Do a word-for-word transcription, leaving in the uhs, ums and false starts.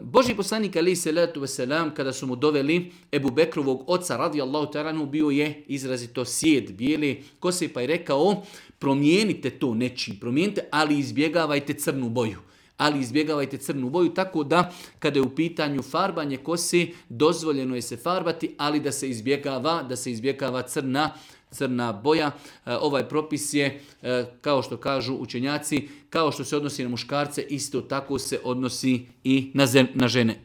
Božji poslanik alejhi selatu vesselam kada su mu doveli Ebu Bekrovog oca radijallahu ta'ala anhu, bio je izrazito sjed, bijele kose, pa je rekao promijenite to nečim, promijenite, ali izbjegavajte crnu boju. Ali izbjegavajte crnu boju, tako da kada je u pitanju farbanje kose, dozvoljeno je se farbati, ali da se izbjegava, da se izbjegava crna crna boja. Ovaj propis je, kao što kažu učenjaci, kao što se odnosi na muškarce, isto tako se odnosi i na žene.